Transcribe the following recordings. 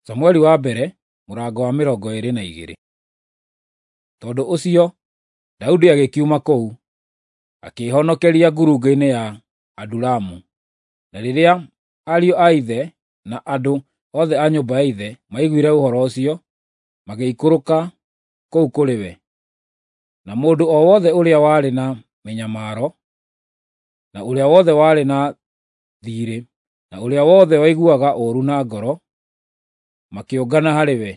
Samueli wa mbere mũrango wa 22. Tondũ ũcio Daudi agĩkiuma kũu, akĩĩhonokeria ngurunga-inĩ ya Adulamu. Na rĩrĩa ariũ a ithe na andũ othe a nyũmba ya ithe maiguire ũhoro ũcio, magĩikũrũka kũu kũrĩ we. Na mũndũ o wothe ũrĩa warĩ na mĩnyamaro, na ũrĩa wothe warĩ na thiirĩ, na ũrĩa wothe waiguaga ũũru na ngoro, makĩũngana harĩ we,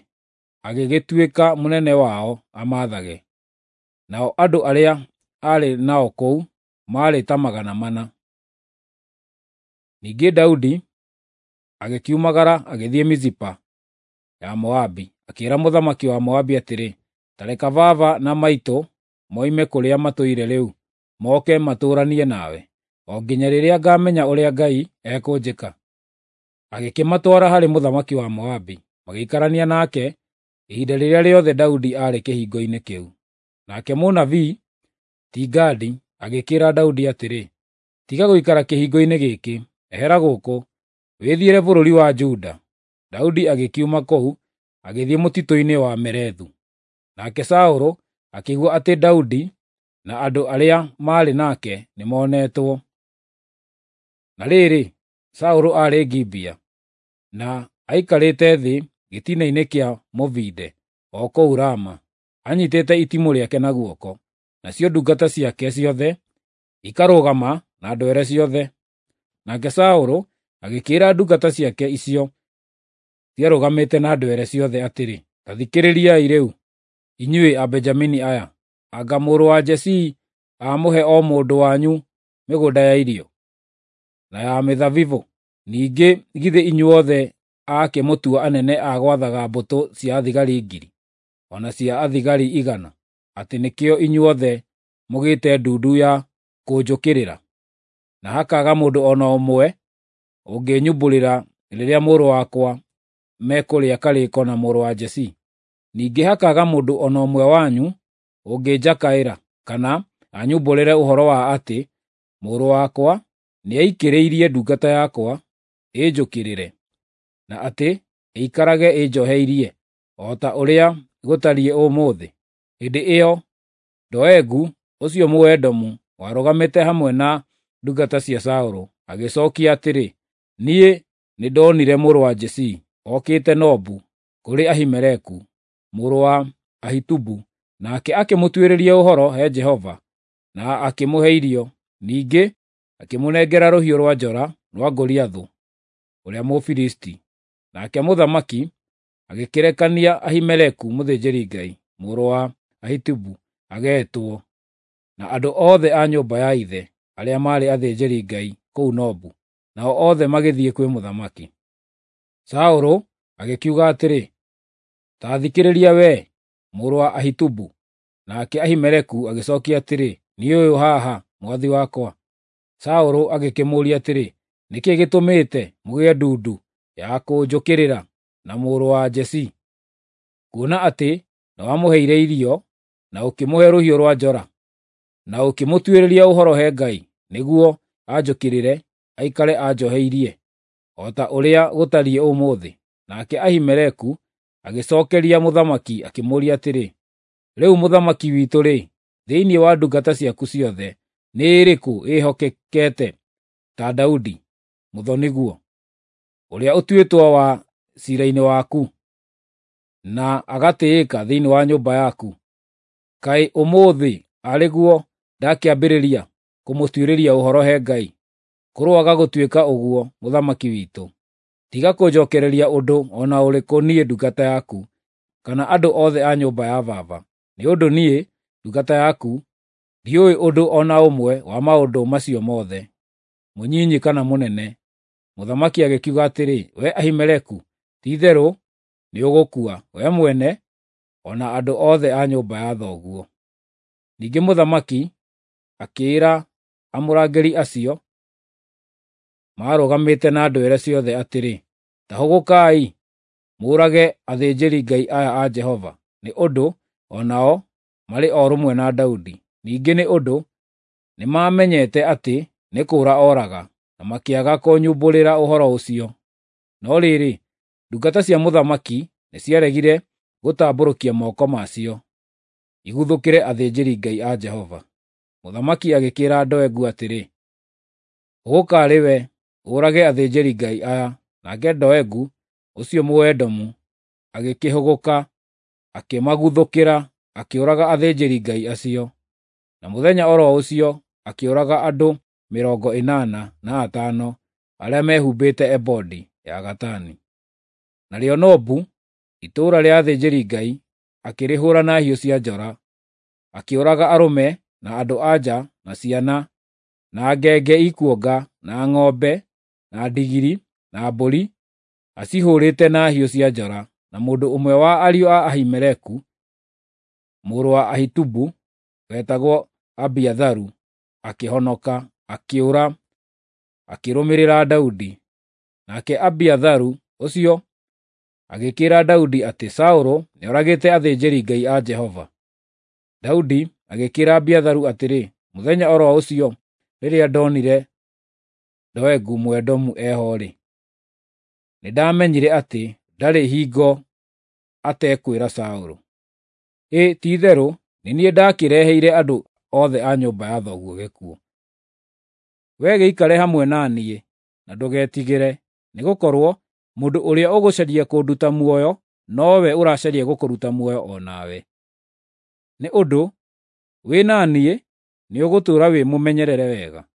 agĩgĩtuĩka mũnene wao amaathage. Nao andũ arĩa aarĩ nao kũu maarĩ ta 400. Ningĩ Daudi agĩkiumagara agĩthiĩ Mizipa ya Moabi, akĩĩra mũthamaki wa Moabi atĩrĩ, “Ta reka baba na maitũ moime kũrĩa matũire rĩu, moke matũũranie nawe, o nginya rĩrĩa ngamenya ũrĩa Ngai ekũnjĩka.” Agĩkĩmatwara harĩ mũthamaki wa Moabi, magĩikarania nake ihinda rĩrĩa rĩothe Daudi aarĩ kĩhingo-inĩ kĩu. Nake mũnabii ti Gadi agĩkĩĩra Daudi atĩrĩ, “Tiga gũikara kĩhingo-inĩ gĩkĩ; ehera gũkũ, wĩthiĩre bũrũri wa Juda.” Daudi agĩkiuma kũu agĩthiĩ mũtitũ-inĩ wa Merethu. Nake Saũlũ akĩigua atĩ Daudi na andũ arĩa maarĩ nake nĩmonetwo. Na rĩrĩ, Saũlũ aarĩ Gibea, na aikarĩte thĩ gĩtina-inĩ kĩa mũbinde o kũu Rama, anyiitĩte itimũ rĩake na guoko, nacio ndungata ciake ciothe ikarũgama na ndwere ciothe. Nake Saũlũ agĩkĩĩra ndungata ciake icio ciarũgamĩte na ndwere ciothe atĩrĩ, “Ta thikĩrĩriai rĩu, inyuĩ Abenjamini aya! Anga mũrũ wa Jesii aamũhe o mũndũ wanyu mĩgũnda ya irio, na ya mĩthabibũ? Ningĩ githĩ inyuothe aakĩmũtua anene a gwathaga mbũtũ cia athigari 1,000, o na cia athigari 100, atĩ nĩkĩo inyuothe mũgĩte ndundu ya kũnjũkĩrĩra, na hakaaga mũndũ o na ũmwe ũngĩnyumbũrĩra rĩrĩa mũrũ wakwa mekũrĩa karĩĩko na mũrũ wa Jesii? Ningĩ hakaaga mũndũ o na ũmwe wanyu ũngĩnjakaĩra, kana anyumbũrĩre ũhoro wa atĩ mũrũ wakwa nĩaikĩrĩirie ndungata yakwa ĩnjũkĩrĩre, na atĩ ĩikarage ĩnjoheirie, o ta ũrĩa gũtariĩ ũmũthĩ.” Hĩndĩ ĩyo Doegu ũcio Mũedomu warũgamĩte hamwe na ndungata cia Saũlũ agĩcookia atĩrĩ, “Niĩ nĩndonire mũrũ wa Jesii okĩte Nobu kũrĩ Ahimeleku mũrũ wa Ahitubu, nake akĩmũtuĩrĩria ũhoro he Jehova na akĩmũhe irio. Ningĩ akĩmũnengera rũhiũ rwa njora rwa Goliathũ ũrĩa Mũfilisti.” Nake mũthamaki agĩkĩrekania Ahimeleku mũthĩnjĩri-Ngai, mũrũ wa Ahitubu, ageetwo, na andũ othe a nyũmba ya ithe arĩa maarĩ athĩnjĩri-Ngai kũu Nobu, nao othe magĩthiĩ kwĩ mũthamaki. Saũlũ agĩkiuga atĩrĩ, “Ta thikĩrĩria wee, mũrũ wa Ahitubu.” Nake Ahimeleku agĩcookia atĩrĩ, “Niĩ ũyũ haha, mwathi wakwa.” Saũlũ agĩkĩmũũria atĩrĩ, “Nĩ kĩĩ gĩtũmĩte mũgĩe ndundu ya kũnjũkĩrĩra na mũrũ wa Jesii, kuona atĩ nĩwamũheire irio, na ũkĩmũhe rũhiũ rwa njora, na ũkĩmũtuĩrĩria ũhoro he Ngai nĩguo anjũkĩrĩre aikare anjoheirie, o ta ũrĩa gũtariĩ ũmũthĩ?” Nake Ahimeleku agĩcookeria mũthamaki akĩmũũria atĩrĩ, “Rĩu mũthamaki witũ-rĩ, thĩinĩ wa ndungata ciaku ciothe nĩ ĩrĩkũ ĩĩhokekete ta Daudi, mũthoni-guo, ũrĩa ũtuĩtwo wa ciira-inĩ waku, na agatĩĩka thĩinĩ wa nyũmba yaku? Kaĩ ũmũthĩ arĩ guo ndakĩambĩrĩria kũmũtuĩrĩria ũhoro he Ngai? Kũroaga gũtuĩka ũguo, mũthamaki witũ! Tiga kũnjookereria ũndũ o na ũrĩkũ niĩ ndungata yaku, kana andũ othe a nyũmba ya baba, nĩ ũndũ niĩ, ndungata yaku, ndiũĩ ũndũ o na ũmwe wa maũndũ macio mothe, mũnyinyi kana mũnene.” Mũthamaki agĩkiuga atĩrĩ, “Wee Ahimeleku, ti-itherũ nĩũgũkua, wee mwene o na andũ othe a nyũmba ya thoguo.” Ningĩ mũthamaki akĩĩra amũrangĩri acio maarũgamĩte na ndwere ciothe atĩrĩ, “Ta hũgũkaai, mũũrage athĩnjĩri-Ngai aya a Jehova, nĩ ũndũ o nao marĩ o rũmwe na Daudi. Ningĩ nĩ ũndũ nĩmamenyete atĩ nĩ kũũra oraga, na makĩaga kũnyumbũrĩra ũhoro ũcio.” No rĩrĩ, Ndungata cia mũthamaki nĩciaregire gũtambũrũkia moko macio iguthũkĩre athĩnjĩri-Ngai a Jehova. Mũthamaki agĩkĩĩra Doegu atĩrĩ, “Hũgũka arĩ we, ũũrage athĩnjĩri-Ngai aya.” Nake Doegu ũcio Mũedomu agĩkĩhũgũka, akĩmaguthũkĩra, akĩũraga athĩnjĩri-Ngai acio. Na mũthenya o ro ũcio akĩũraga andũ 85 arĩa mehumbĩte ebodi ya gatani. Narĩo Nobu, itũũra rĩa athĩnjĩri-Ngai, akĩrĩhũũra na hiũ cia njora, akĩũraga arũme na andũ-a-nja na ciana, na ngenge ikuonga, na ng'ombe, na ndigiri, na mbũri, acihũũrĩte na hiũ cia njora. Na mũndũ ũmwe wa ariũ a Ahimeleku mũrũ wa Ahitubu, wetagwo Abiatharu, akĩhonoka, akĩũra, akĩrũmĩrĩra Daudi. Nake Abiatharu ũcio agĩkĩĩra Daudi atĩ Saũlũ nĩoragĩte athĩnjĩri-Ngai a Jehova. Daudi agĩkĩĩra Abiatharu atĩrĩ, “Mũthenya o ro ũcio rĩrĩa ndonire Doegu Mũedomu eho-rĩ, nĩndamenyire atĩ ndarĩ hingo atekwĩra Saũlũ. Ĩ ti-itherũ nĩ niĩ ndaakĩreheire andũ othe a nyũmba ya thoguo gĩkuũ. Wee gĩikare hamwe na niĩ, na ndũgetigĩre, nĩgũkorwo mũndũ ũrĩa ũgũcaria kũnduta muoyo nowe ũracaria gũkũruta muoyo o nawe. Nĩ ũndũ wĩ na niĩ nĩũgũtũũra wĩ mũmenyerere wega.”